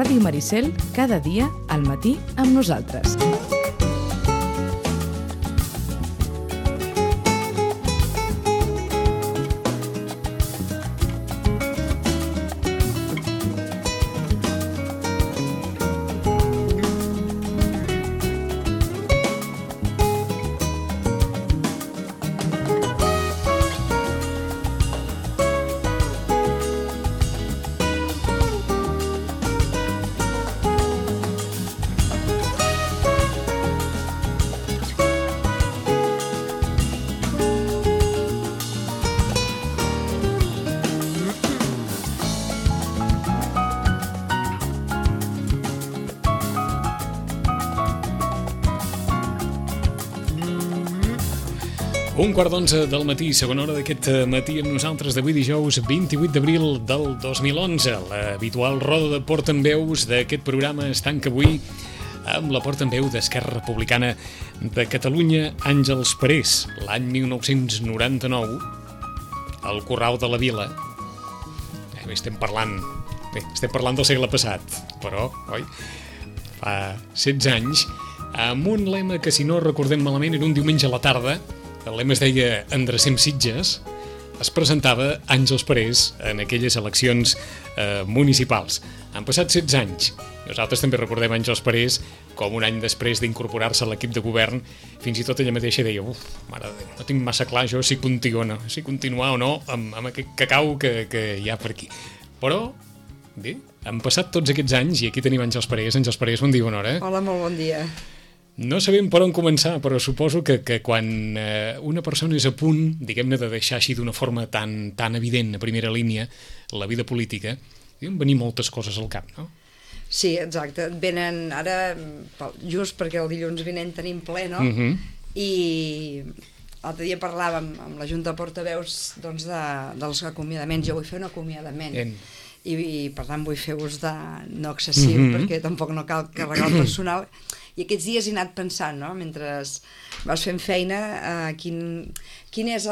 Ràdio Maricel, cada dia al matí amb nosaltres. Un quart d'11 del matí, segona hora d'aquest matí amb nosaltres d'avui dijous 28 d'abril del 2011. L'habitual roda de portaveus d'aquest programa es tanca avui amb la portaveu d'Esquerra Republicana de Catalunya, Àngels Parés. L'any 1999, al Corral de la Vila. Estem parlant del segle passat, però, oi? Fa 16 anys, amb un lema que, si no recordem malament, era un diumenge a la tarda. El lema es deia Endrecem Sitges. Es presentava Àngels Parés en aquelles eleccions municipals. Han passat 16 anys. Nosaltres també recordem Àngels Parés com un any després d'incorporar-se a l'equip de govern. Fins i tot ella mateixa deia mare de Déu, no tinc massa clar jo si continuar o no amb aquest cacau que hi ha per aquí. Però, bé, han passat tots aquests anys i aquí tenim Àngels Parés. Àngels Parés, bon dia, bona hora. Hola, molt bon dia. No sabem per on començar, però suposo que quan una persona és a punt, diguem-ne, de deixar així d'una forma tan evident a primera línia la vida política, deuen venir moltes coses al cap, no? Sí, exacte. Venen ara, just perquè el dilluns vinent tenim ple, no? I l'altre dia parlàvem amb la Junta de Portaveus doncs, dels acomiadaments. Jo vull fer un acomiadament. I per tant vull fer ús de no excessiu, perquè tampoc no cal carregar el personal. I aquests dies he anat pensant, no? Mentre vas fent feina, quin és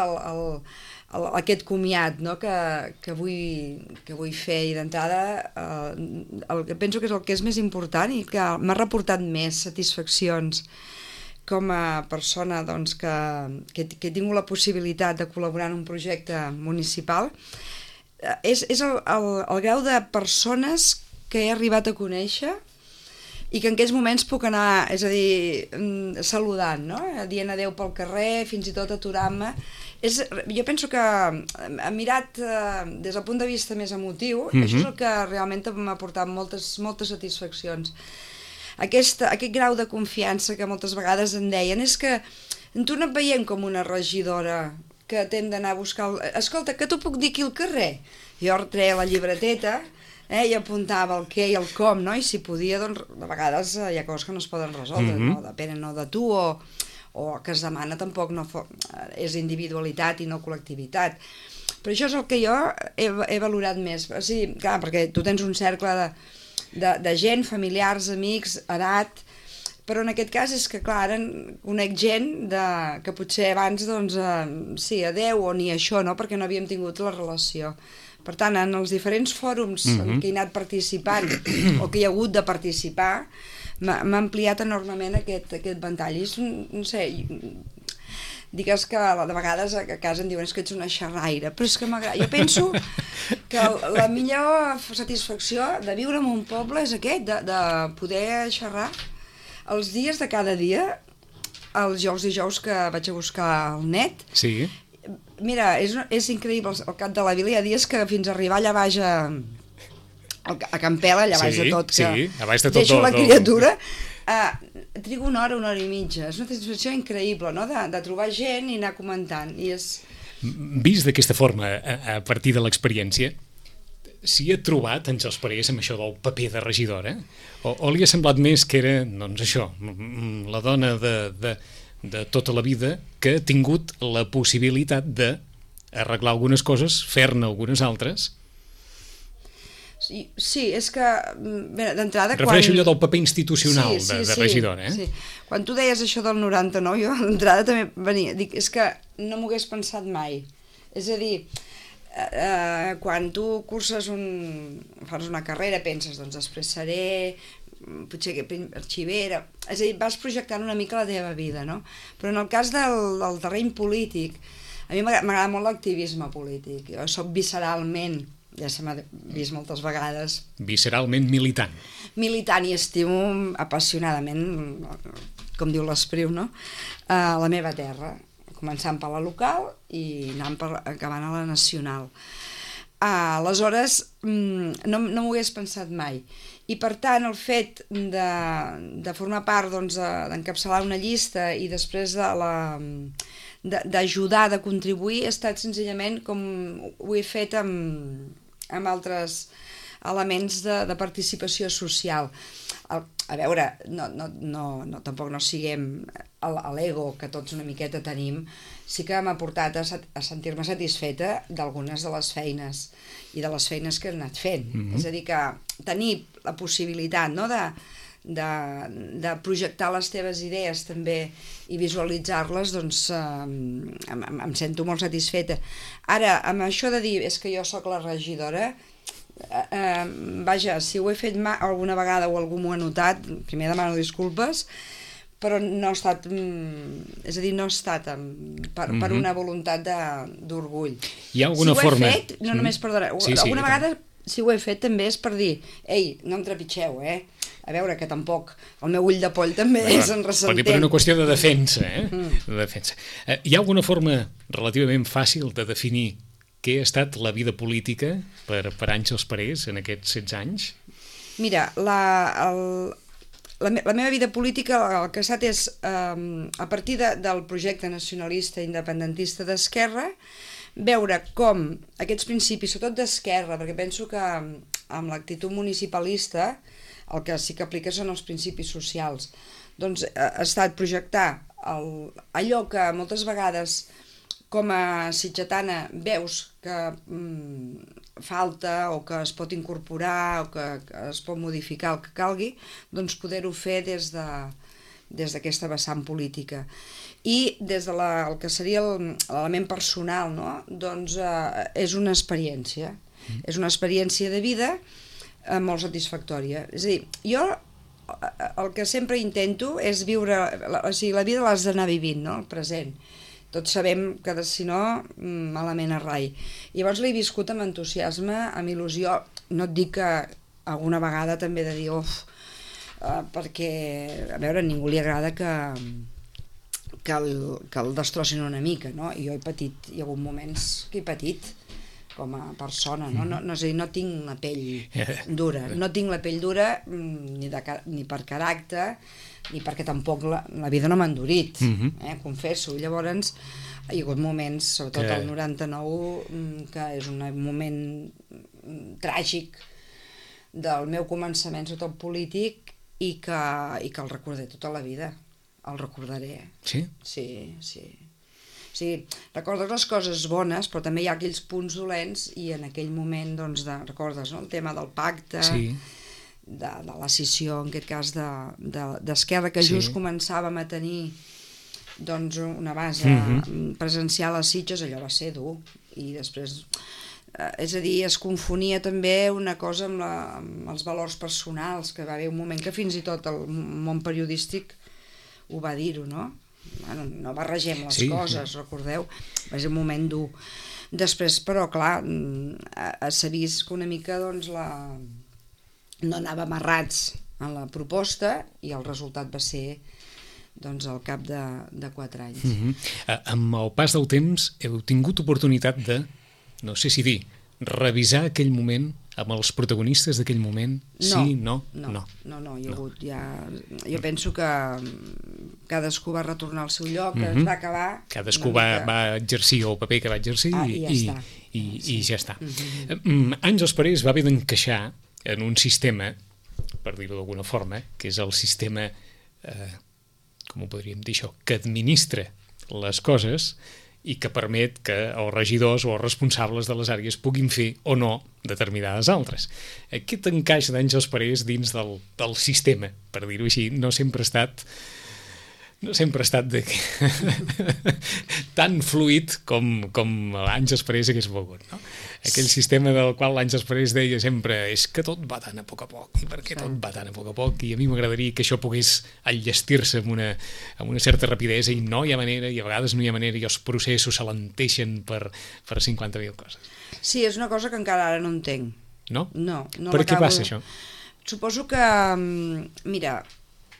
aquest comiat, no? que vull fer. I d'entrada penso que és el que és més important i que m'ha reportat més satisfaccions com a persona doncs, que he tingut la possibilitat de col·laborar en un projecte municipal. És el grau de persones que he arribat a conèixer i que en aquests moments puc anar, és a dir, saludant, no? Dient adeu pel carrer, fins i tot aturant-me. Jo penso que, mirat des del punt de vista més emotiu, això és el que realment m'ha portat moltes satisfaccions. Aquest grau de confiança que moltes vegades em deien és que tu no et veiem com una regidora que t'hem d'anar a buscar... Escolta, que t'ho puc dir aquí al carrer? Jo treia la llibreteta i apuntava el què i el com, no? I si podia, doncs, de vegades hi ha coses que no es poden resoldre, no? Depenen no de tu o que es demana tampoc és individualitat i no col·lectivitat. Però això és el que jo he valorat més. O sigui, clar, perquè tu tens un cercle de gent, familiars, amics, edat, però en aquest cas és que, clar, ara conec gent que potser abans, doncs, sí, adeu o ni això, no?, perquè no havíem tingut la relació. Per tant, en els diferents fòrums en què he anat participant o que hi ha hagut de participar, m'ha ampliat enormement aquest ventall. I, no sé, digues que de vegades a casa em diuen que ets una xerraire, però és que m'agrada. Jo penso que la millor satisfacció de viure en un poble és aquest, de poder xerrar els dies de cada dia, els dijous que vaig a buscar el net. Sí. Mira, és increïble, al cap de la vila hi ha dies que fins a arribar allà baix a Campela, allà baix de tot, que deixo la criatura, trigo una hora i mitja. És una satisfacció increïble, no?, de trobar gent i anar comentant. Vist d'aquesta forma, a partir de l'experiència, s'hi ha trobat Àngels Parés amb això del paper de regidora? O li ha semblat més que era, doncs això, la dona de tota la vida que ha tingut la possibilitat d'arreglar algunes coses, fer-ne algunes altres? Sí, és que d'entrada... Refereixo allò del paper institucional de regidora, Sí. Quan tu deies això del 99, jo d'entrada també venia, dic, és que no m'ho hagués pensat mai. És a dir, Quan tu curses fas una carrera, penses, doncs després seré potser arxivera, és a dir, vas projectant una mica la teva vida, no? Però en el cas del terreny polític, a mi m'agrada molt l'activisme polític. Jo soc visceralment, ja se m'ha vist moltes vegades, visceralment militant. Militant, i estimo apassionadament, com diu l'Espriu, no? La meva terra, començant per la local i acabant a la nacional. Aleshores, no m'ho hagués pensat mai. I per tant, el fet de formar part, doncs, d'encapçalar una llista i després d'ajudar, de contribuir, ha estat senzillament com ho he fet amb altres elements de participació social. A veure, tampoc no siguem l'ego que tots una miqueta tenim, sí que m'ha portat a sentir-me satisfeta d'algunes de les feines i de les feines que he anat fent. És a dir, que tenir la possibilitat, no, de projectar les teves idees també i visualitzar-les, doncs em sento molt satisfeta. Ara, amb això de dir és que jo sóc la regidora, vaja, si ho he fet alguna vegada o algú m'ho ha notat, primer demano disculpes, però no ha estat, és a dir, no ha estat per una voluntat d'orgull. Hi ha alguna forma? Si ho he fet, no només, perdona, alguna vegada si ho he fet també és per dir, ei, no em trepitgeu, a veure, que tampoc el meu ull de poll també és en ressentent. Per una qüestió de defensa, de defensa. Hi ha alguna forma relativament fàcil de definir què ha estat la vida política per Àngels Parés en aquests 16 anys? Mira, la meva vida política el que ha estat és, a partir del projecte nacionalista independentista d'Esquerra, veure com aquests principis, sobretot d'Esquerra, perquè penso que amb l'actitud municipalista el que sí que aplica són els principis socials, doncs ha estat projectar allò que moltes vegades com a sitgetana veus que falta o que es pot incorporar o que es pot modificar el que calgui, doncs poder-ho fer des d'aquesta vessant política. I des del que seria l'element personal, no? Doncs és una experiència. És una experiència de vida molt satisfactòria. És a dir, jo el que sempre intento és viure, o sigui, la vida l'has d'anar vivint, no? El present. Tots sabem que, si no, malament a rai. Llavors l'he viscut amb entusiasme, amb il·lusió. No et dic que alguna vegada també he de dir, perquè, a veure, a ningú li agrada que el destrossin una mica, no? I jo he patit, hi ha hagut moments que he patit com a persona, no? És a dir, no tinc la pell dura. No tinc la pell dura ni per caràcter, ni perquè tampoc la vida no m'ha endurit, confesso. Llavors hi ha hagut moments, sobretot el 99, que és un moment tràgic del meu començament, sobretot polític, i que el recordaré tota la vida. El recordaré. Sí? Sí. O sigui, recordes les coses bones, però també hi ha aquells punts dolents i en aquell moment, doncs, recordes, no?, el tema del pacte, de la scissió, en aquest cas, d'Esquerra, que just començàvem a tenir, doncs, una base presencial a Sitges, allò va ser dur. I després, és a dir, es confonia també una cosa amb els valors personals, que va haver un moment que fins i tot el món periodístic ho va dir-ho, no? Bueno, no barregem les coses, recordeu? Va ser un moment dur. Després, però, clar, s'ha vist que una mica, doncs, no anava amarrats a la proposta i el resultat va ser, doncs, al cap de 4 anys. Amb el pas del temps heu tingut oportunitat de, no sé si dir, revisar aquell moment amb els protagonistes d'aquell moment? Sí, no? No, hi ha hagut ja... Jo penso que cadascú va retornar al seu lloc, que es va acabar... Cadascú va exercir el paper que va exercir i ja està. Àngels Parés va haver d'encaixar en un sistema, per dir-ho d'alguna forma, que és el sistema, com ho podríem dir això, que administra les coses i que permet que els regidors o els responsables de les àrees puguin fer o no determinades altres. Aquest encaix d'Àngels Parés dins del sistema, per dir-ho així, no sempre ha estat no sempre ha estat tan fluid com anys després hagués volgut, no? Aquell sistema del qual anys després deia sempre és que tot va tan a poc, i per què tot va tan a poc, i a mi m'agradaria que això pogués enllestir-se amb una certa rapidesa, i no hi ha manera, i a vegades no hi ha manera, i els processos s'alenteixen per 50.000 coses. Sí, és una cosa que encara ara no entenc. No? No per què passa això? Suposo que, mira,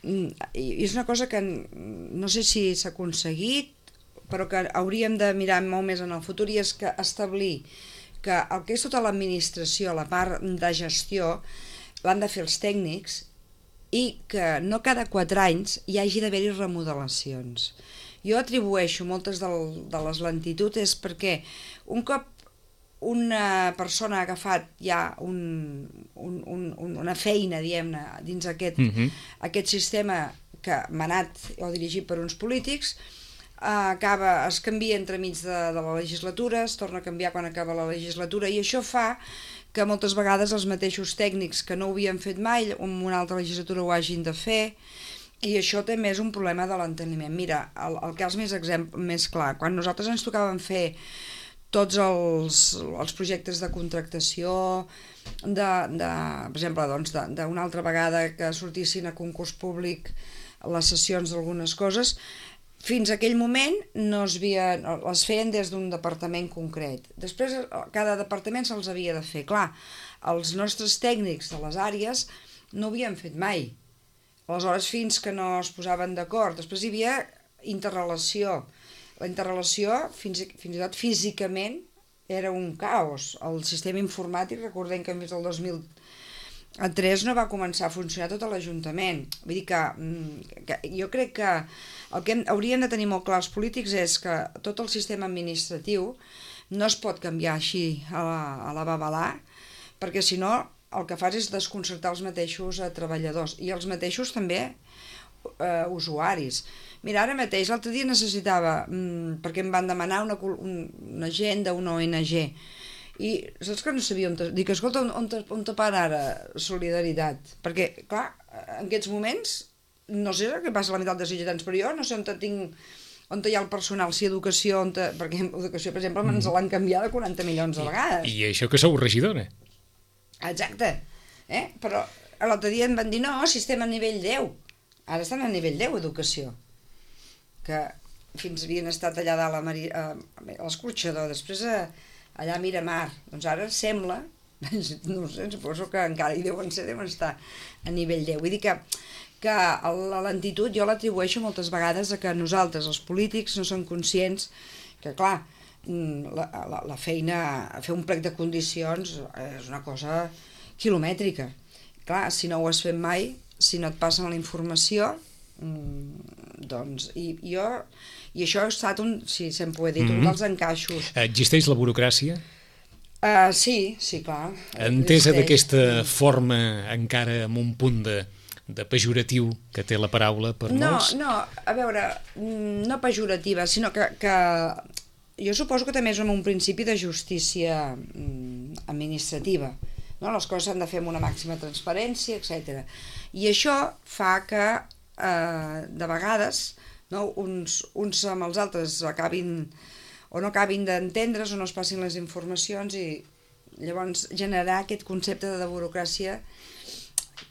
és una cosa que no sé si s'ha aconseguit, però que hauríem de mirar molt més en el futur, i és que establir que el que és tota l'administració, la part de gestió, l'han de fer els tècnics, i que no cada 4 anys hi hagi d'haver-hi remodelacions. Jo atribueixo moltes de les lentituds és perquè un cop una persona ha agafat ja una feina, diguem-ne, dins aquest sistema que manat o dirigit per uns polítics, es canvia entremig de la legislatura, es torna a canviar quan acaba la legislatura, i això fa que moltes vegades els mateixos tècnics que no ho havien fet mai en una altra legislatura ho hagin de fer, i això també és un problema de l'enteniment. Mira, el cas més clar, quan nosaltres ens tocaven fer tots els projectes de contractació, per exemple, d'una altra vegada que sortissin a concurs públic les sessions d'algunes coses, fins a aquell moment les feien des d'un departament concret. Després cada departament se'ls havia de fer. Clar, els nostres tècnics de les àrees no ho havien fet mai. Aleshores, fins que no es posaven d'acord. Després hi havia interrelació. La interrelació, fins i tot físicament, era un caos. El sistema informàtic, recordem que fins al 2003 no va començar a funcionar tot l'Ajuntament. Vull dir que jo crec que el que haurien de tenir molt clar els polítics és que tot el sistema administratiu no es pot canviar així a la babalà, perquè si no el que fas és desconcertar els mateixos treballadors i els mateixos també usuaris. Mira, ara mateix, l'altre dia necessitava, perquè em van demanar una gent d'una ONG, i saps que no sabia on... Dic, escolta, on te para ara Solidaritat? Perquè, clar, en aquests moments, no sé què passa a la meitat de ciutadans, però jo no sé on hi ha el personal, si educació, perquè educació, per exemple, ens l'han canviat 40 milions de vegades. I això que sou regidora. Exacte. Però l'altre dia em van dir, no, sistema a nivell 10. Ara estan a nivell 10, educació. Que fins havien estat allà dalt a l'Escorxador, després allà a Miramar. Doncs ara sembla, no sé, suposo que encara hi deuen estar a nivell 10. Vull dir que la lentitud jo l'atribueixo moltes vegades a que nosaltres, els polítics, no som conscients que, clar, la feina, fer un plec de condicions és una cosa quilomètrica. Clar, si no ho has fet mai, si no et passen la informació, doncs, i això ha estat si se'n pot dir, un dels encaixos. Existeix la burocràcia? Sí, clar. Entesa d'aquesta forma encara amb un punt de pejoratiu que té la paraula per molts? No, a veure, no pejorativa, sinó que jo suposo que també és un principi de justícia administrativa. No? Les coses s'han de fer amb una màxima transparència, etc. I això fa que de vegades uns amb els altres acabin o no acabin d'entendre's o no es passin les informacions, i llavors generar aquest concepte de burocràcia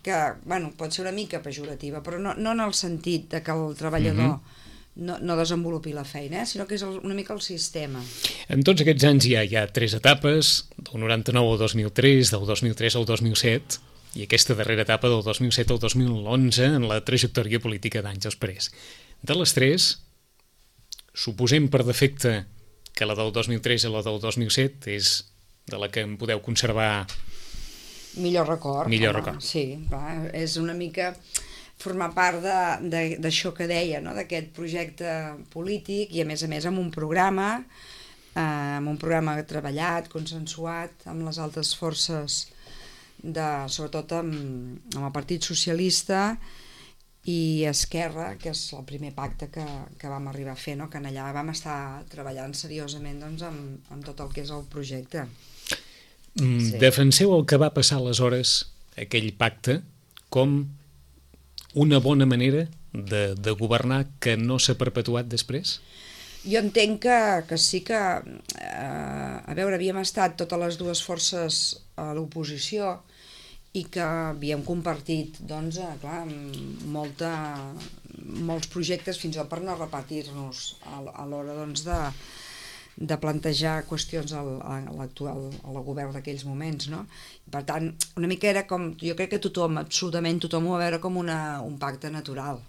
que, bueno, pot ser una mica pejorativa, però no en el sentit de que el treballador no desenvolupi la feina, sinó que és una mica el sistema. En tots aquests anys hi ha 3 etapes, del 99 al 2003, del 2003 al 2007, i aquesta darrera etapa del 2007 al 2011 en la trajectòria política d'anys després. De les 3, suposem per defecte que la del 2003 i la del 2007 és de la que em podeu conservar millor record. Sí, clar, és una mica formar part d'això que deia, no? D'aquest projecte polític, i a més amb un programa treballat, consensuat amb les altres forces, sobretot amb el Partit Socialista i Esquerra, que és el primer pacte que vam arribar a fer, no? Que allà vam estar treballant seriosament, doncs, amb tot el que és el projecte. Sí. Defenseu el que va passar aleshores, aquell pacte, com una bona manera de governar que no s'ha perpetuat després? Jo entenc que sí que, a veure, havíem estat totes les dues forces a l'oposició i que havíem compartit, doncs, clar, molts projectes fins al per no repetir-nos a l'hora, doncs, de plantejar qüestions al govern d'aquells moments, no? Per tant, una mica era com, jo crec que tothom, absolutament tothom ho va veure com un pacte natural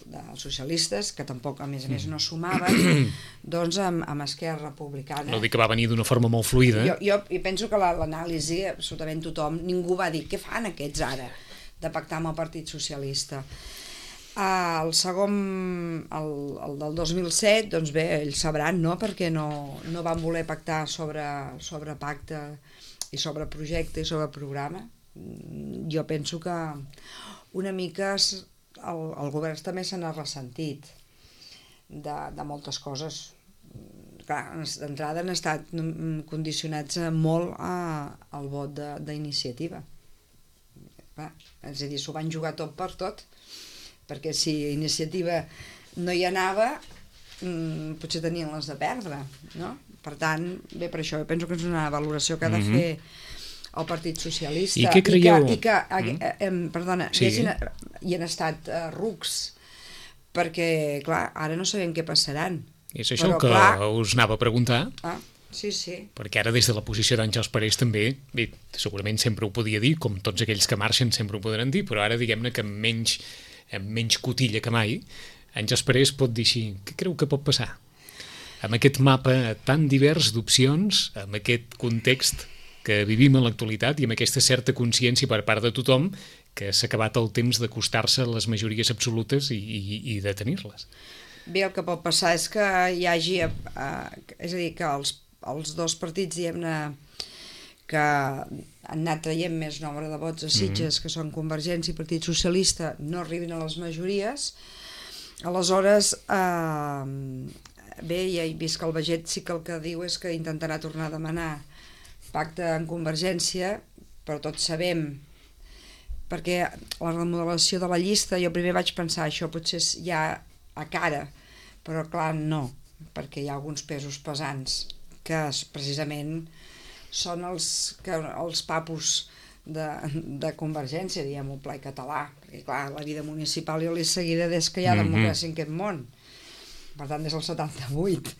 dels socialistes, que tampoc a més no sumaven, doncs amb Esquerra Republicana. No dic que va venir d'una forma molt fluida. Jo penso que l'anàlisi, absolutament tothom, ningú va dir què fan aquests ara de pactar amb el Partit Socialista. El segon, el del 2007, doncs bé, ells sabran, no?, perquè no van voler pactar sobre pacte i sobre projecte i sobre programa. Jo penso que una mica el govern també se n'ha ressentit de moltes coses. Clar, d'entrada han estat condicionats molt al vot d'iniciativa. És a dir, s'ho van jugar tot per tot, perquè si iniciativa no hi anava, potser tenien les de perdre, no? Per tant, bé, per això jo penso que és una valoració que ha de fer el Partit Socialista. I què creieu? Perdona, sí. Hi han estat rucs, perquè, clar, ara no sabem què passaran. És això que us anava a preguntar. Sí. Perquè ara des de la posició d'Àngels Parés també, bé, segurament sempre ho podia dir, com tots aquells que marxen sempre ho podran dir, però ara diguem-ne que amb menys cotilla que mai, Àngels Parés pot dir així, què creu que pot passar? Amb aquest mapa tan divers d'opcions, amb aquest context que vivim en l'actualitat i amb aquesta certa consciència per part de tothom que s'ha acabat el temps d'acostar-se a les majories absolutes i de tenir-les. Bé, el que pot passar és que hi hagi, és a dir, que els dos partits, diguem-ne, que han anat traient més nombre de vots a Sitges, que són Convergència i Partit Socialista, no arribin a les majories. Aleshores, bé, ja he vist que el Baget sí que el que diu és que intentarà tornar a demanar pacte en Convergència, però tots sabem, perquè la remodelació de la llista, jo primer vaig pensar això potser és ja a cara, però clar, no, perquè hi ha alguns pesos pesants que precisament són els papus de Convergència, diguem-ho, pla català, perquè clar, la vida municipal jo l'he seguida des que hi ha democràcia en aquest món, per tant des del 78,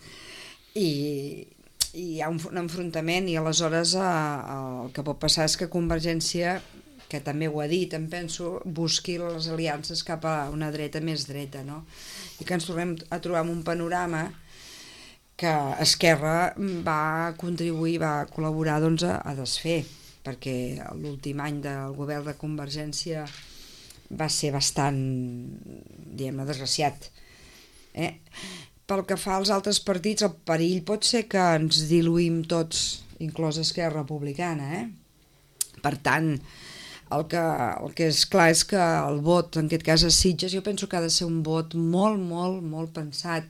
i hi ha un enfrontament i aleshores el que pot passar és que Convergència, que també ho ha dit, em penso, busqui les aliances cap a una dreta més dreta, no? I que ens tornem a trobar en un panorama que Esquerra va contribuir, va col·laborar doncs, a desfer, perquè l'últim any del govern de Convergència va ser bastant, diguem-ne, desgraciat. Pel que fa als altres partits, el perill pot ser que ens diluïm tots, inclòs Esquerra Republicana. Per tant, el que és clar és que el vot, en aquest cas a Sitges, jo penso que ha de ser un vot molt, molt, molt pensat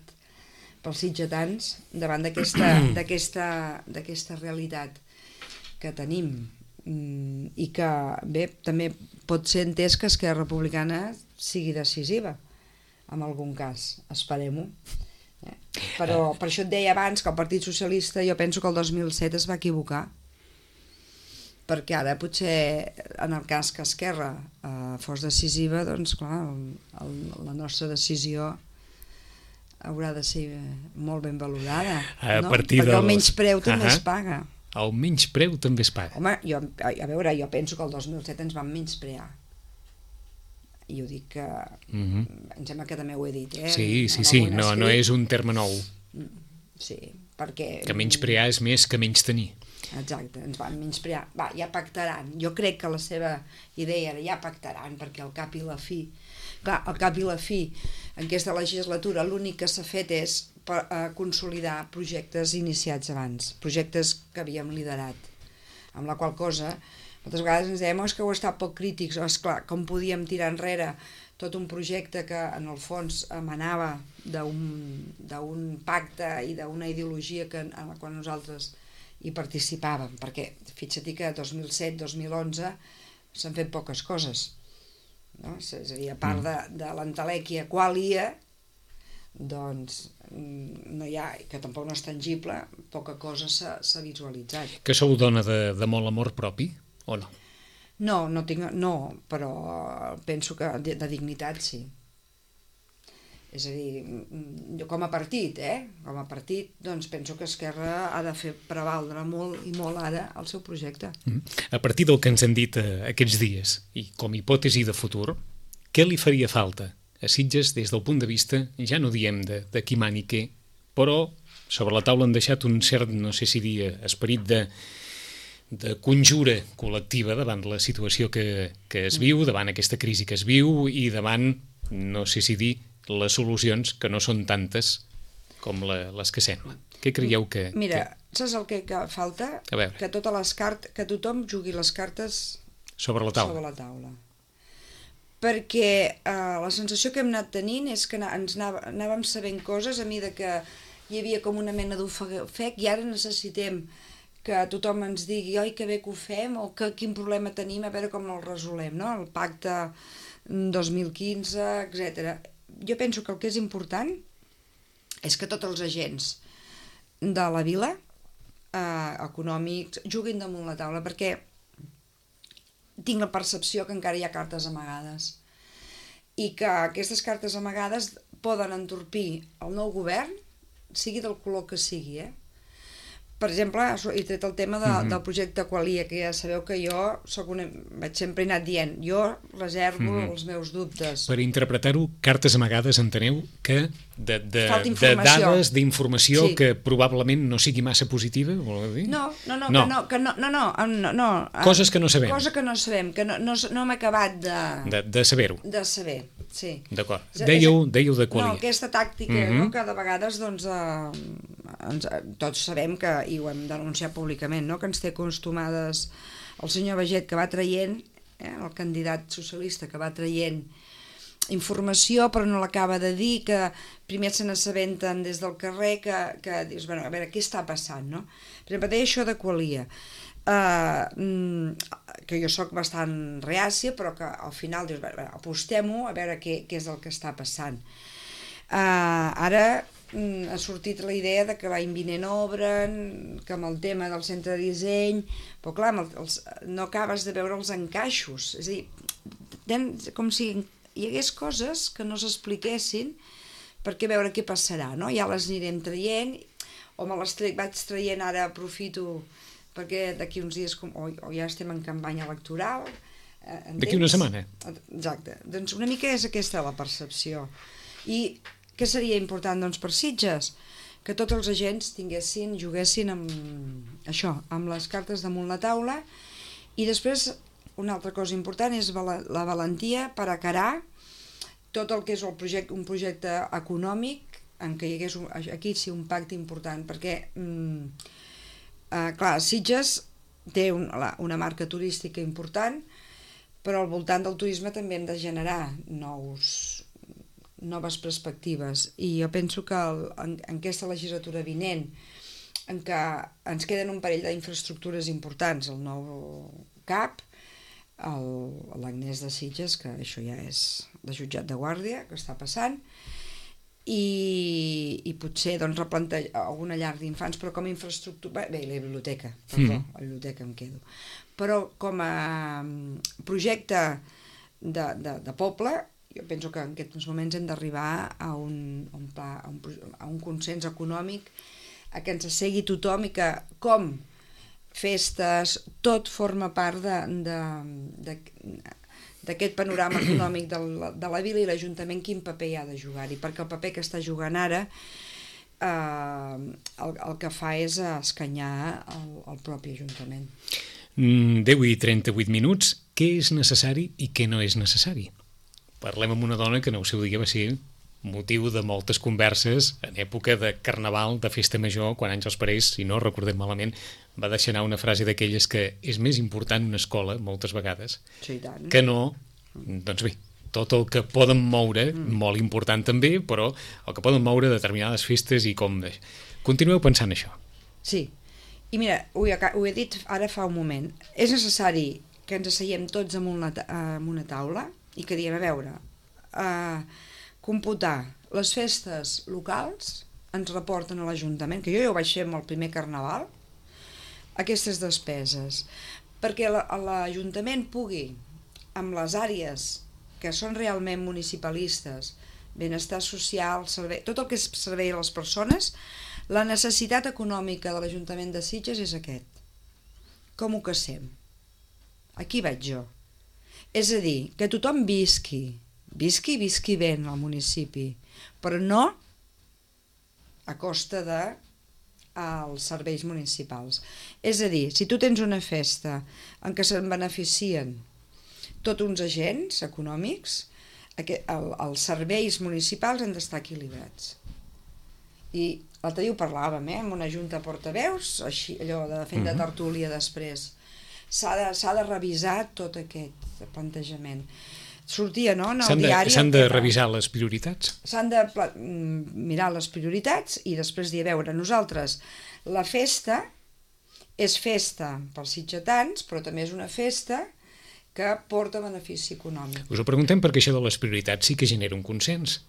pels sitgetans davant d'aquesta realitat que tenim i que, bé, també pot ser entès que Esquerra Republicana sigui decisiva en algun cas, esperem-ho. Però per això et deia abans que el Partit Socialista jo penso que el 2007 es va equivocar, perquè ara potser en el cas que Esquerra fos decisiva, doncs clar, la nostra decisió haurà de ser molt ben valorada, no? Perquè el menyspreu també es paga. El menyspreu també es paga. Home, a veure, jo penso que el 2007 ens van menysprear. I ho dic que... Em sembla que també ho he dit, Sí, no és un terme nou. Sí, perquè... Que menysprear és més que menys tenir. Exacte, ens van menysprear. Va, ja pactaran. Jo crec que la seva idea era ja pactaran, perquè al cap i la fi... Clar, al cap i la fi, en aquesta legislatura, l'únic que s'ha fet és consolidar projectes iniciats abans, projectes que havíem liderat, amb la qual cosa... Moltes vegades ens dèiem que heu estat poc crítics, esclar, com podíem tirar enrere tot un projecte que en el fons emanava d'un pacte i d'una ideologia en la qual nosaltres hi participàvem, perquè fixa't que 2007-2011 s'han fet poques coses, no? És a dir, a part de l'entelèquia qualia, doncs no hi ha, que tampoc no és tangible, poca cosa s'ha visualitzat. Que sou dona de molt amor propi, o no? No, però penso que de dignitat sí. És a dir, jo com a partit, com a partit, doncs penso que Esquerra ha de fer prevaldre molt i molt ara el seu projecte. A partir del que ens han dit aquests dies, i com a hipòtesi de futur, què li faria falta a Sitges des del punt de vista, ja no diem de qui mani què, però sobre la taula han deixat un cert, no sé si dir, esperit de conjura col·lectiva davant la situació que es viu, davant aquesta crisi que es viu i davant, no sé si dir, les solucions que no són tantes com les que semblen. Què creieu que... Mira, saps el que falta? Que tothom jugui les cartes sobre la taula. Perquè la sensació que hem anat tenint és que anàvem sabent coses a mesura que hi havia com una mena d'ofec i ara necessitem que tothom ens digui oi, que bé que ho fem o quin problema tenim, a veure com el resolem, no? El pacte 2015, etc. Jo penso que el que és important és que tots els agents de la vila, econòmics, juguin damunt la taula, perquè tinc la percepció que encara hi ha cartes amagades i que aquestes cartes amagades poden entorpir el nou govern, sigui del color que sigui, Per exemple, he tret el tema del projecte Qualia, que ja sabeu que jo vaig sempre anat dient, jo reservo els meus dubtes. Per interpretar-ho, cartes amagades enteneu que de dades, d'informació que probablement no sigui massa positiva, voleu dir? No. Coses que no sabem. Coses que no sabem, que no hem acabat de saber-ho. De saber, sí. D'acord. Dèieu de Qualia. No, aquesta tàctica, que de vegades, doncs, tots sabem que, i ho hem denunciat públicament, que ens té acostumades el senyor Baget, que va traient, el candidat socialista que va traient informació però no l'acaba de dir, que primer se n'assabenten des del carrer, que dius, bueno, a veure, què està passant, no? Per exemple, deia això de Qualia, que jo sóc bastant reàcia, però que al final dius, apostem-ho a veure què és el que està passant. Ara ha sortit la idea de que l'any vinent obren, que amb el tema del centre de disseny, però clar, no acabes de veure els encaixos, és a dir, com si hi hagués coses que no s'expliquessin perquè veure què passarà, no? Ja les anirem traient, o me les vaig traient ara, aprofito, perquè d'aquí uns dies, o ja estem en campanya electoral. D'aquí una setmana. Exacte, doncs una mica és aquesta la percepció. I què seria important, doncs, per Sitges? Que tots els agents juguessin amb això, amb les cartes damunt la taula, i després una altra cosa important és la valentia per acarar tot el que és un projecte econòmic en què hi hagués aquí sí un pacte important, perquè clar, Sitges té una marca turística important, però al voltant del turisme també hem de generar noves perspectives, i jo penso que en aquesta legislatura vinent, en què ens queden un parell d'infraestructures importants, el nou CAP, l'Agnès de Sitges, que això ja és de jutjat de guàrdia, que està passant, i potser doncs replantejar alguna llar d'infants, però com a infraestructura, bé, la biblioteca, la biblioteca em quedo, però com a projecte de poble, jo penso que en aquests moments hem d'arribar a un consens econòmic, a que ens assegui tothom i que com festes, tot forma part d'aquest panorama econòmic de la vila, i l'Ajuntament quin paper hi ha de jugar-hi, perquè el paper que està jugant ara el que fa és escanyar el propi Ajuntament. 10 i 38 minuts, què és necessari i què no és necessari? Parlem amb una dona que en el seu dia va ser motiu de moltes converses en època de carnaval, de festa major, quan Àngels Parés, si no recordem malament, va deixar anar una frase d'aquelles que és més important una escola, moltes vegades, que no, doncs bé, tot el que poden moure, molt important també, però el que poden moure determinades festes i com... Continueu pensant això. Sí, i mira, ho he dit ara fa un moment, és necessari que ens asseiem tots en una taula, i que diem, a veure, computar les festes locals ens reporten a l'Ajuntament, que jo ja ho vaig fer amb el primer Carnaval, aquestes despeses, perquè l'Ajuntament pugui, amb les àrees que són realment municipalistes, benestar social, servei, tot el que és servei a les persones, la necessitat econòmica de l'Ajuntament de Sitges és aquest. Com ho casem? Aquí vaig jo. És a dir, que tothom visqui bé en el municipi, però no a costa dels serveis municipals. És a dir, si tu tens una festa en què se'n beneficien tots uns agents econòmics, els serveis municipals han d'estar equilibrats. I l'altre dia ho parlàvem, amb una junta de portaveus, així, allò de fent de tertúlia després. S'ha de revisar tot aquest plantejament. Sortia, no?, en el diari... S'han de revisar les prioritats? S'han de mirar les prioritats i després dir, a veure, nosaltres, la festa és festa pels sitgetans, però també és una festa que porta benefici econòmic. Us ho preguntem perquè això de les prioritats sí que genera un consens.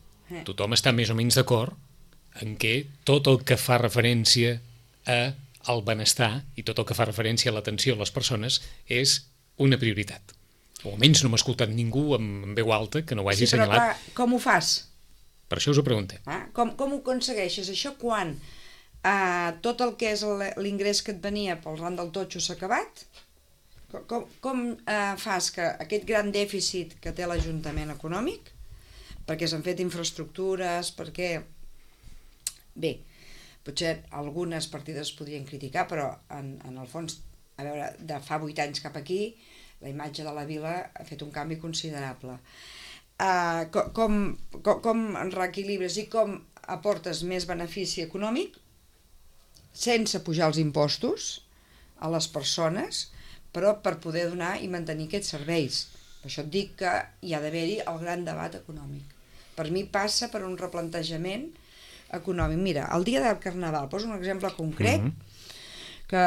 Tothom està més o menys d'acord en què tot el que fa referència al benestar i tot el que fa referència a l'atenció a les persones és una prioritat. O almenys no m'ha escoltat ningú amb veu alta que no ho hagi assenyalat. Però com ho fas? Per això us ho preguntem. Com ho aconsegueixes? Això quan tot el que és l'ingrés que et venia pel ran del totxo s'ha acabat? Com fas que aquest gran dèficit que té l'Ajuntament econòmic, perquè s'han fet infraestructures, perquè... Bé, potser algunes partides es podrien criticar, però en el fons, a veure, de fa 8 anys cap aquí, la imatge de la vila ha fet un canvi considerable. Com reequilibres i com aportes més benefici econòmic sense pujar els impostos a les persones, però per poder donar i mantenir aquests serveis. Per això et dic que hi ha d'haver-hi el gran debat econòmic. Per mi passa per un replantejament econòmic. Mira, el dia del Carnaval, poso un exemple concret, que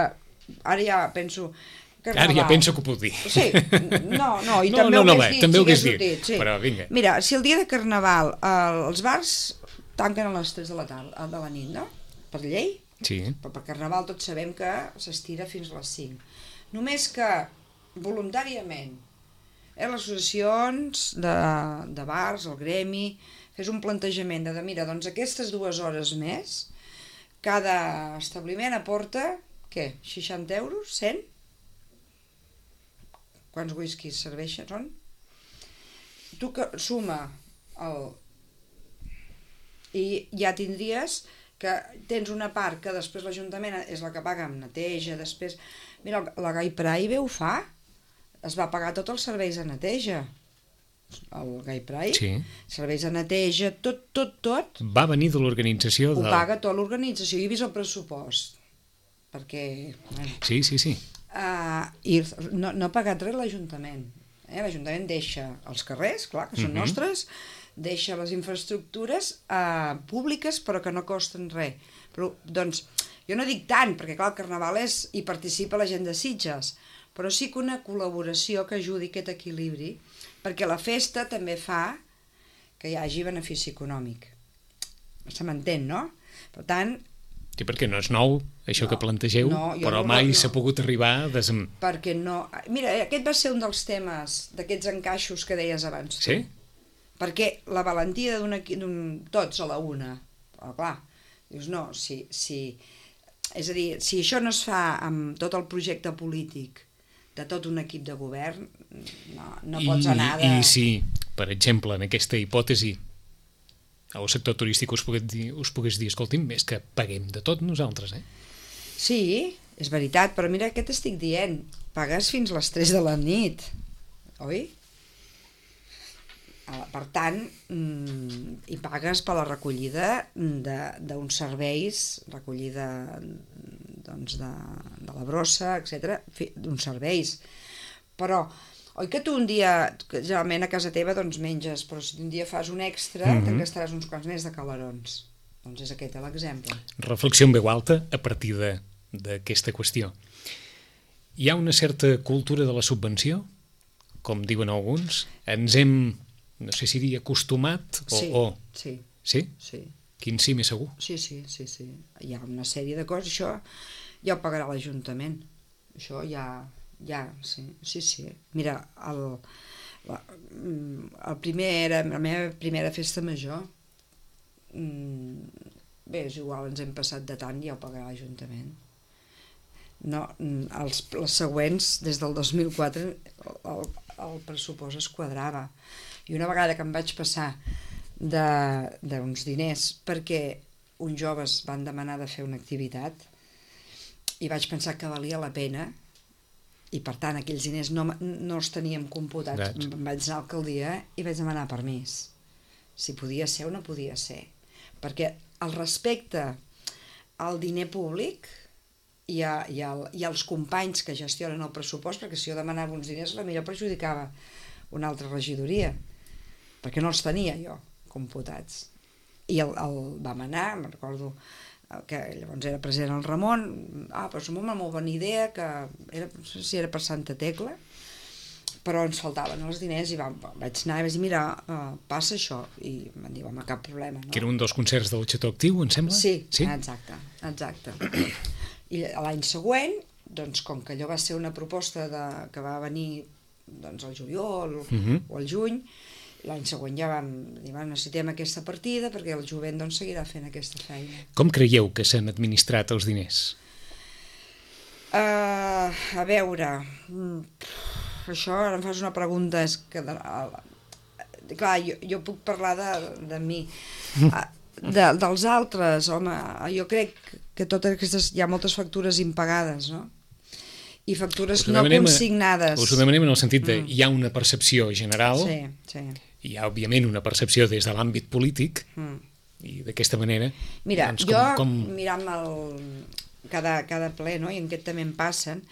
ara ja penso... Carnaval. Ara ja penso que ho puc dir. Sí, no, i també ho hagués dit. Sí. Però vinga. Mira, si el dia de Carnaval els bars tanquen a les 3 de la nit, no? Per llei? Sí. Però per Carnaval tots sabem que s'estira fins a les 5. Només que voluntàriament les associacions de bars, el gremi, fes un plantejament de mira, doncs aquestes 2 hores més, cada establiment aporta, què, 60 euros, 100? Quants whiskies serveixen, són? Tu que suma i ja tindries que tens una part que després l'Ajuntament és la que paga amb neteja, després... Mira, la Gai Praive ho fa, es va pagar tots els serveis de neteja. El Gai Praive, sí. Serveis de neteja, tot. Va venir de l'organització Ho paga tota l'organització, jo he vist el pressupost, perquè... Bueno, sí. I no ha pagat res l'Ajuntament. L'Ajuntament deixa els carrers, clar, que són nostres, deixa les infraestructures públiques però que no costen res. Però, doncs, jo no dic tant, perquè clar, el Carnaval hi participa la gent de Sitges, però sí que una col·laboració que ajudi aquest equilibri, perquè la festa també fa que hi hagi benefici econòmic. Se m'entén, no? Per tant... Sí, perquè no és nou, això que plantegeu, però mai s'ha pogut arribar a Perquè no... Mira, aquest va ser un dels temes d'aquests encaixos que deies abans. Sí? Perquè la valentia tots a la una. Però clar, dius no, és a dir, si això no es fa amb tot el projecte polític de tot un equip de govern, no pots anar de... I si, per exemple, en aquesta hipòtesi, el sector turístic us pogués dir, escolti'm, és que paguem de tot nosaltres, Sí, és veritat, però mira què t'estic dient, pagues fins les 3 de la nit, oi? Per tant, hi pagues per la recollida d'uns serveis, recollida doncs, de la brossa, etc., d'uns serveis. Però, oi que tu un dia, generalment a casa teva, doncs menges, però si un dia fas un extra, te'n gastaràs uns quants més de calarons. Doncs és aquest l'exemple. Reflexió en veu alta a partir d'aquesta qüestió. Hi ha una certa cultura de la subvenció? com diuen alguns, ens hem, no sé si dir acostumat o... Sí. Sí? Sí. Quin sí més segur? Sí. Hi ha una sèrie de coses, això ja ho pagarà l'Ajuntament. Això ja, sí. Mira, la meva primera festa major, bé, és igual, ens hem passat de tant, ja ho pagarà l'Ajuntament. No, les següents, des del 2004, el pressupost es quadrava. I una vegada que em vaig passar d'uns diners perquè uns joves van demanar de fer una activitat i vaig pensar que valia la pena i per tant aquells diners no els teníem computats. Em vaig anar a l'alcaldia i vaig demanar permís si podia ser o no podia ser, perquè el respecte al diner públic i als companys que gestionen el pressupost, perquè si jo demanava uns diners potser perjudicava una altra regidoria perquè no els tenia jo computats. I el vam anar, me'n recordo que llavors era present el Ramon, però és una molt bona idea, que era, no sé si era per Santa Tecla, però ens faltaven els diners i vaig anar i vaig dir, mira, passa això, i em diu, home, cap problema. No? Que era un dels concerts del Xató Actiu, em sembla? Sí? Exacte. I l'any següent, doncs, com que allò va ser una proposta que va venir doncs, al juliol o al juny, l'any següent ja vam dir, necessitem aquesta partida perquè el jovent doncs, seguirà fent aquesta feina. Com creieu que s'han administrat els diners? A veure, això ara em fas una pregunta, és que clar, jo puc parlar de mi, dels altres, home, jo crec que totes aquestes, hi ha moltes factures impagades, no? I factures no consignades. Us ho demanem en el sentit de hi ha una percepció general, sí. Hi ha òbviament una percepció des de l'àmbit polític i d'aquesta manera... Mira, doncs, mirant cada ple, no? I en aquest també en passen,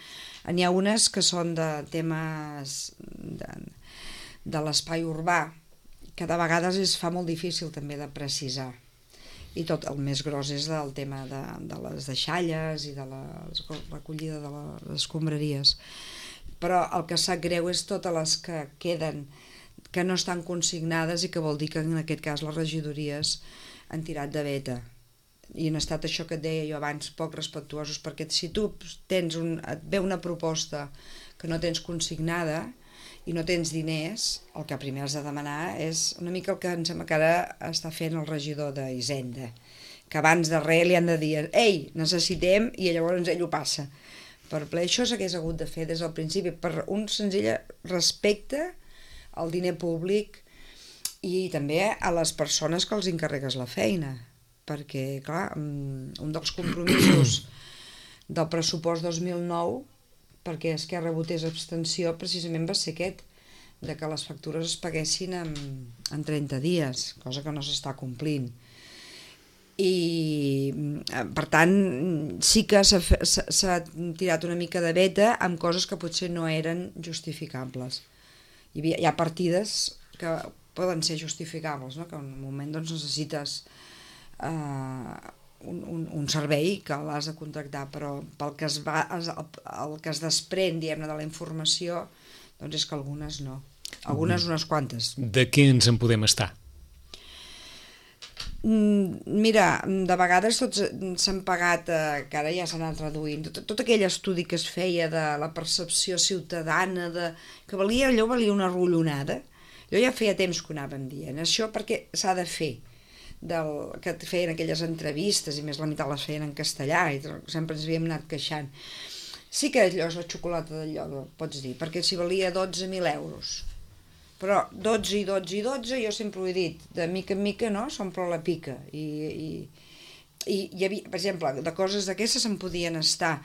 n'hi ha unes que són de temes de l'espai urbà, que de vegades es fa molt difícil també de precisar. I tot el més gros és del tema de les deixalles i de la recollida de les escombraries. Però el que sap greu és totes les que queden, que no estan consignades i que vol dir que en aquest cas les regidories han tirat de veta. I han estat això que et deia jo abans, poc respectuosos, perquè si tu et ve una proposta que no tens consignada i no tens diners, el que primer has de demanar és una mica el que em sembla que ara està fent el regidor d'Hisenda, que abans de res li han de dir ei, necessitem, i llavors ell ho passa per ple. Això s'hagués hagut de fer des del principi per un senzill respecte al diner públic i també a les persones que els encarregues la feina, perquè clar, un dels compromisos del pressupost 2009 perquè Esquerra votés abstenció precisament va ser aquest, de que les factures es paguessin en 30 dies, cosa que no s'està complint. I per tant sí que s'ha tirat una mica de veta amb coses que potser no eren justificables. Hi ha partides que poden ser justificables, no? Que en un moment doncs, necessites un servei que l'has de contractar, però pel que el que es desprèn de la informació doncs és que algunes no, algunes unes quantes. De què ens en podem estar? Mira, de vegades tots s'han pagat, que ara ja s'han anat reduint, tot aquell estudi que es feia de la percepció ciutadana, que allò valia una rotllonada. Jo ja feia temps que ho anàvem dient, això perquè s'ha de fer, que feien aquelles entrevistes, i més la meitat les feien en castellà, i sempre ens havíem anat queixant. Sí que allò és la xocolata del lloro, pots dir, perquè si valia 12.000 euros, però 12 i 12 i 12, jo sempre ho he dit, de mica en mica no, s'omple la pica, i hi havia, per exemple, de coses d'aquestes se'n podien estar.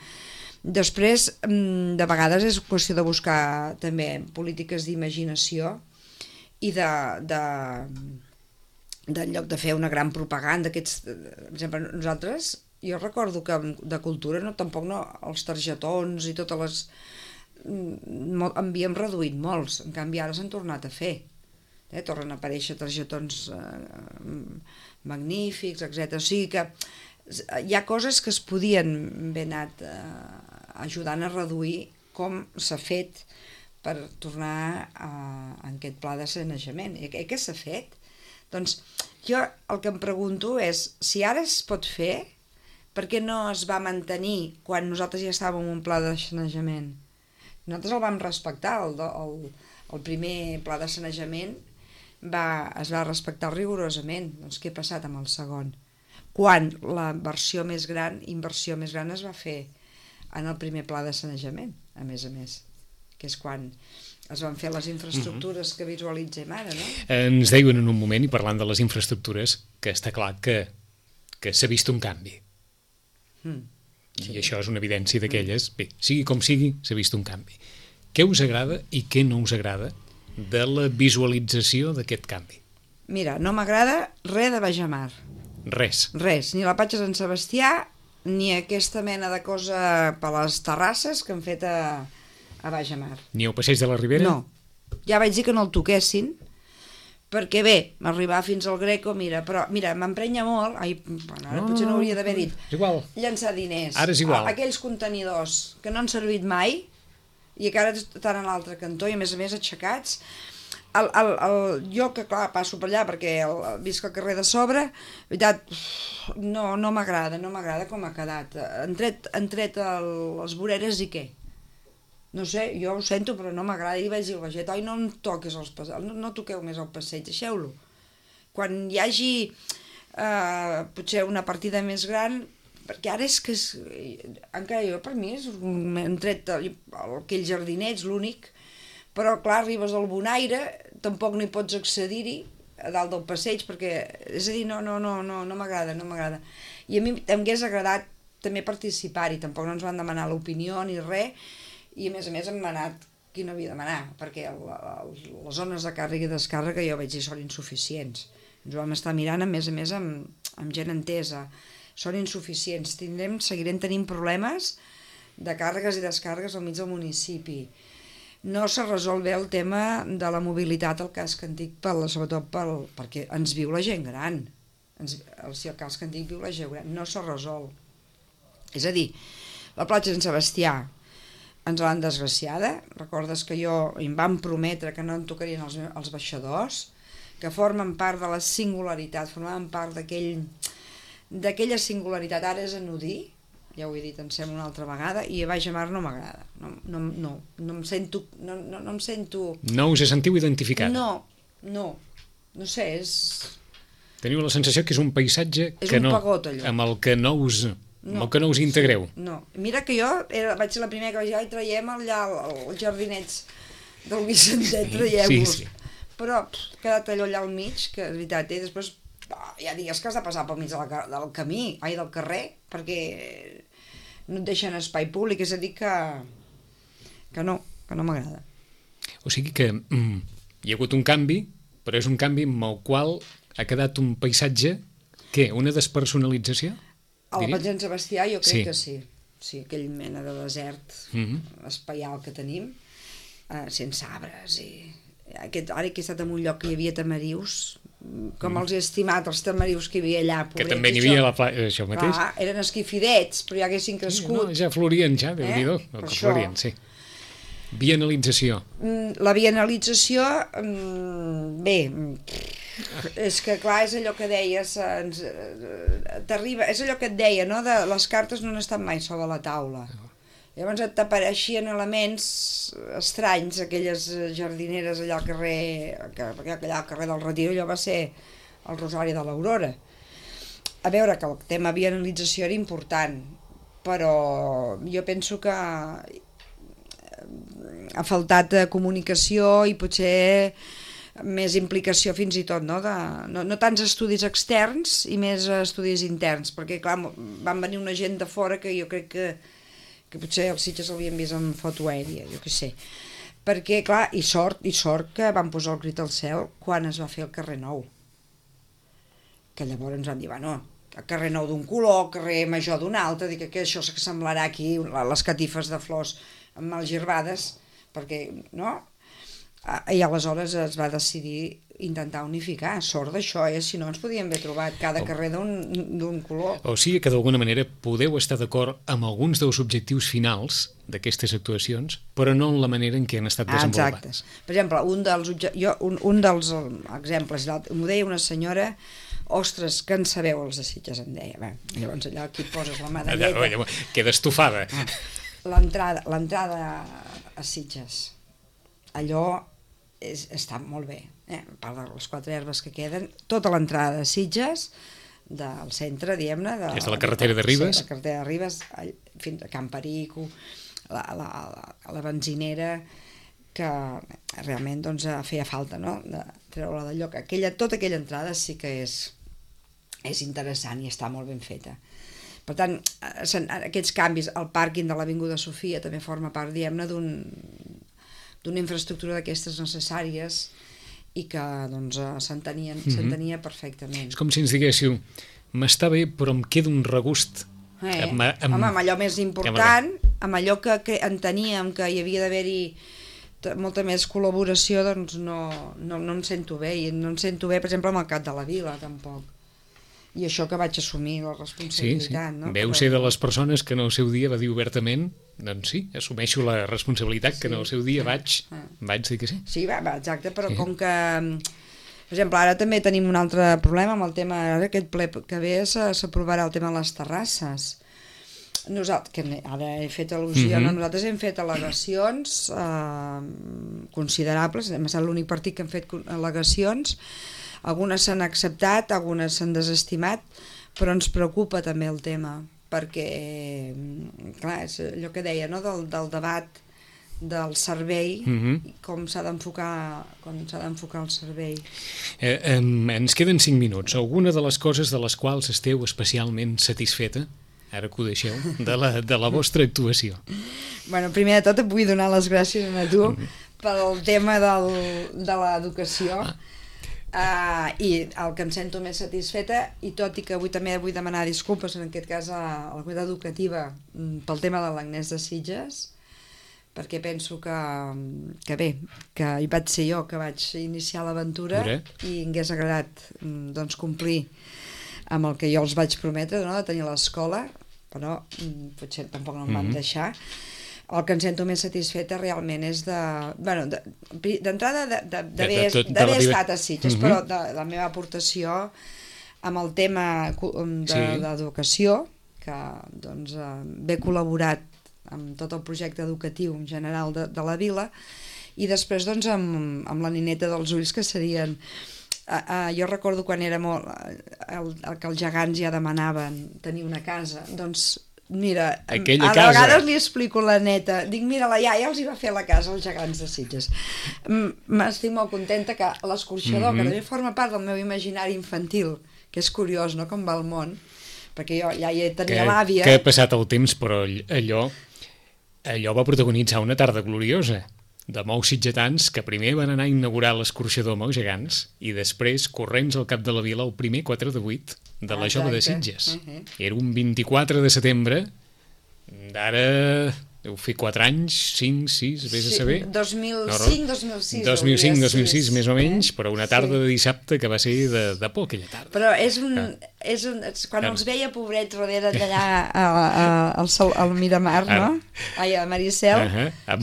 Després, de vegades és qüestió de buscar també polítiques d'imaginació i en lloc de fer una gran propaganda, per exemple, nosaltres, jo recordo que de cultura tampoc no, els targetons i totes les... havíem reduït molts, en canvi ara s'han tornat a fer. Tornen a aparèixer targetons magnífics, etc. O sigui que hi ha coses que es podien haver anat ajudant a reduir, com s'ha fet per tornar a aquest pla de sanejament. I què s'ha fet? Doncs jo el que em pregunto és, si ara es pot fer, per què no es va mantenir quan nosaltres ja estàvem en un pla de sanejament? Nosaltres el vam respectar, el primer pla de sanejament es va respectar rigorosament. Doncs què ha passat amb el segon? Quan la inversió més gran es va fer en el primer pla de sanejament, a més, que és quan es van fer les infraestructures que visualitzem ara, no? Ens deien en un moment, i parlant de les infraestructures, que està clar que s'ha vist un canvi. I això és una evidència d'aquelles. Bé, sigui com sigui, s'ha vist un canvi. Què us agrada i què no us agrada de la visualització d'aquest canvi? Mira, no m'agrada res de Bajamar. Res. Res, ni la platja de Sant Sebastià, ni aquesta mena de cosa per les terrasses que han fet a Bajamar. Ni el passeig de la Ribera? No, ja vaig dir que no el toquessin, perquè bé, m'arribar fins al Greco, però m'emprenya molt, ara potser no hauria d'haver dit, és igual. Llançar diners. Ara és igual. Aquells contenidors que no han servit mai i que ara estan a l'altre cantó i a més aixecats. Jo que clar passo per allà perquè visc al carrer de sobre, veritat, no m'agrada com ha quedat. Han tret les voreres i què? No sé, jo ho sento, però no m'agrada. I vaig dir al veget, no em toquis no toqueu més el passeig, deixeu-lo. Quan hi hagi potser una partida més gran, perquè ara és que encara jo per mi hem tret aquells jardinets, l'únic, però clar, arribes al Bonaire, tampoc no hi pots accedir-hi a dalt del passeig, perquè, és a dir, no m'agrada. I a mi m'hagués agradat també participar-hi, tampoc no ens van demanar l'opinió ni res, i a més hem anat qui no havia de demanar, perquè les zones de càrrega i descàrrega jo vaig dir són insuficients. Ens ho vam estar mirant, a més amb gent entesa. Són insuficients, seguirem tenint problemes de càrregues i descàrregues al mig del municipi. No se resol bé el tema de la mobilitat al casc antic, sobretot perquè ens viu la gent gran. El casc antic viu la gent gran, no se resol. És a dir, la platja de Sant Sebastià ens l'han desgraciada. Recordes que em van prometre que no en tocarien els baixadors, que formen part de la singularitat, formaven part d'aquella singularitat. Ara és anodí, ja ho he dit, em sembla una altra vegada, i a Bajamar no m'agrada. No em sento... No us sentiu identificada? No sé, és... Teniu la sensació que és un paisatge pagot, allò. Amb el que no us integreu. No, mira que jo vaig ser la primera que vaig dir, traiem allà els jardinets del Vicentet, traiem-los. Sí. Però ha quedat allò allà al mig, que és veritat, i després ja digues que has de passar pel mig del camí, del carrer, perquè no et deixen espai públic, és a dir que no m'agrada. O sigui que hi ha hagut un canvi, però és un canvi amb el qual ha quedat un paisatge, què, una despersonalització? A la platja de Sant Sebastià jo crec que sí. Sí, aquell mena de desert espaial que tenim, sense arbres i... Ara que he estat en un lloc que hi havia tamarius, com els he estimat, els tamarius que hi havia allà. Que també n'hi havia això mateix. Clar, eren esquifidets, però ja haguessin crescut. Ja florien, Déu-n'hi-do, que florien, sí. Bienalització. La bienalització, bé, és que clar, és allò que deies, és allò que et deia, no? Les cartes no han estat mai sobre la taula. Llavors t'apareixien elements estranys, aquelles jardineres allà al carrer del Retiro, allò va ser el Rosari de l'Aurora. A veure, que el tema bienalització era important, però jo penso que ha faltat comunicació i potser més implicació fins i tot, no tants estudis externs i més estudis interns, perquè clar, van venir una gent de fora que jo crec que potser els Sitges l'havien vist en foto aèria, jo què sé. Perquè, clar, i sort que van posar el crit al cel quan es va fer el carrer Nou. Que llavors ens van dir, bueno, el carrer Nou d'un color, el carrer Major d'un altre, dic que això semblarà aquí les catifes de flors mal girbades, perquè, no? I aleshores es va decidir intentar unificar. Sort d'això, si no ens podíem haver trobat cada carrer d'un color. O sigui que d'alguna manera podeu estar d'acord amb alguns dels objectius finals d'aquestes actuacions, però no en la manera en què han estat desenvolupades. Exacte. Per exemple, un dels exemples, m'ho deia una senyora, ostres, que en sabeu els de Sitges, em deia. Bé, llavors allò aquí poses la medalleta. Queda estufada. L'entrada a Sitges, allò està molt bé, a part de les 4 herbes que queden, tota l'entrada de Sitges, del centre, diguem-ne, des de la carretera de Ribes, la carretera de Ribes fins a Can Perico, la benzinera, que realment doncs, feia falta, no?, de treure-la del lloc. Tota aquella entrada sí que és interessant i està molt ben feta. Per tant, aquests canvis, el pàrquing de l'Avinguda Sofia també forma part, diguem-ne, d'una infraestructura d'aquestes necessàries i que doncs, s'entenia perfectament. És com si ens diguéssiu, m'està bé però em queda un regust. Home, amb allò més important, amb allò que enteníem que hi havia d'haver-hi molta més col·laboració, doncs no em sento bé, i no em sento bé, per exemple, amb el Cap de la Vila, tampoc. I això que vaig assumir la responsabilitat. Sí. Veu ser de les persones que en el seu dia va dir obertament, doncs sí, assumeixo la responsabilitat que en el seu dia vaig dir que sí. Sí, exacte, però com que, per exemple, ara també tenim un altre problema amb el tema, ara aquest ple que ve s'aprovarà el tema de les terrasses. Nosaltres, que ara he fet al·lusió, nosaltres hem fet al·legacions considerables, hem estat l'únic partit que hem fet al·legacions. Algunes s'han acceptat, algunes s'han desestimat, però ens preocupa també el tema, perquè, clar, és allò que deia, no?, del debat del servei, com s'ha d'enfocar el servei. Ens queden 5 minuts. Alguna de les coses de les quals esteu especialment satisfeta, ara que ho deixeu, de la vostra actuació? Bueno, primer de tot et vull donar les gràcies a tu pel tema de l'educació, i el que em sento més satisfeta, i tot i que avui també vull demanar disculpes en aquest cas a la comunitat educativa pel tema de l'Agnès de Sitges, perquè penso que bé, que hi vaig ser jo que vaig iniciar l'aventura i em hagués agradat doncs complir amb el que jo els vaig prometre, no?, de tenir l'escola, però potser tampoc no em van deixar. El que em sento més satisfeta realment és d'entrada d'haver estat a Sitges, però de la meva aportació amb el tema d'educació, que doncs he col·laborat amb tot el projecte educatiu en general de la vila, i després doncs amb la nineta dels ulls, que serien... Jo recordo quan era molt... que els gegants ja demanaven tenir una casa, doncs... Mira, a vegades li explico a la neta, dic, mira, la iaia els hi va fer la casa als gegants de Sitges. M'estic molt contenta que l'escorxador, que també forma part del meu imaginari infantil, que és curiós, no?, com va el món, perquè jo ja hi tenia l'àvia... Que ha passat el temps, però allò va protagonitzar una tarda gloriosa de molts sitgetans que primer van anar a inaugurar l'escorxador amb els gegants i després corrents al Cap de la Vila el primer 4 de 8 de la Jove de Sitges. Era un 24 de setembre d'ara... Deu fer 4 anys, 5, 6, vés a saber... 2005, 2006, més o menys, però una tarda de dissabte que va ser de por aquella tarda. Però quan els veia pobrets darrere d'allà al Miramar, no? Ai, a Maricel,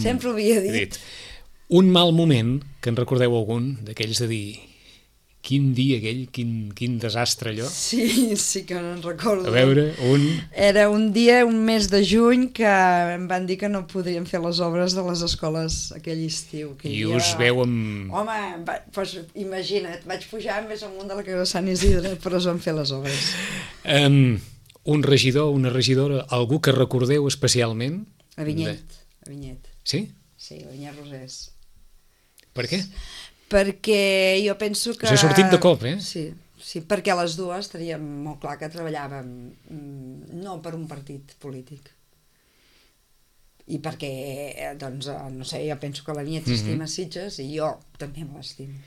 sempre ho havia dit. Un mal moment, que en recordeu algun, d'aquells de dir... Quin dia aquell, quin desastre allò. Sí que no en recordo. A veure, Era un dia, un mes de juny, que em van dir que no podrien fer les obres de les escoles aquell estiu. I us veu amb... Home, doncs imagina't, vaig pujar més amunt de la que era Sant Isidre, però es van fer les obres. Un regidor, una regidora, algú que recordeu especialment? A Vinyet. Sí? Sí, a Vinyet Rosés. Per què? Perquè jo penso que... Us ha sortit de cop, Sí, perquè a les dues teníem molt clar que treballàvem no per un partit polític. I perquè, doncs, no sé, jo penso que la Vinyet s'estima Sitges i jo també me l'estimo.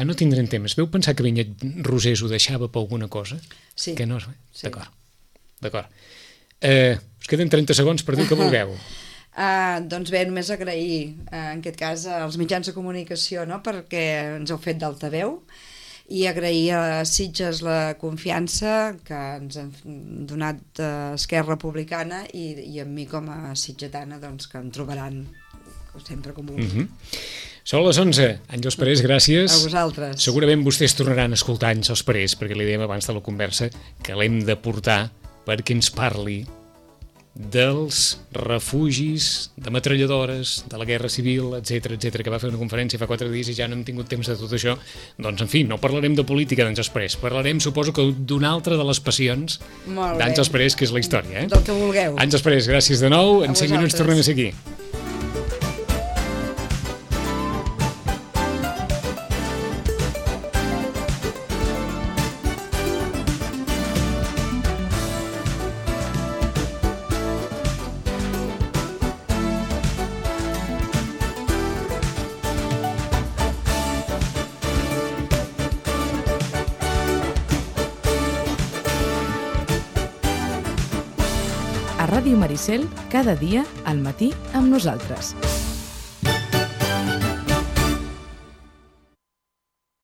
No tindrem temps. Veu pensar que Vinyet Rosés ho deixava per alguna cosa? Sí. Que no? Sí. D'acord. Us queden 30 segons per dir que vulgueu. Doncs bé, només agrair, en aquest cas, als mitjans de comunicació, no?, perquè ens heu fet d'altaveu, i agrair a Sitges la confiança que ens han donat Esquerra Republicana i a mi com a sitgetana, doncs, que em trobaran sempre com vulgui. Són les 11. Àngels Parés, gràcies. A vosaltres. Segurament vostès tornaran a escoltar Àngels Parés, perquè li dèiem abans de la conversa que l'hem de portar perquè ens parli dels refugis, de metralladores, de la guerra civil, etc, que va fer una conferència fa 4 dies i ja no hem tingut temps de tot això. Doncs, en fi, no parlarem de política d'Àngels Parés, parlarem, suposo que d'una altra de les passions d'Àngels Parés, que és la història. Del que vulgueu. Àngels Parés, gràcies de nou. En 5 minuts tornem a ser aquí. A Ràdio Maricel, cada dia al matí amb nosaltres.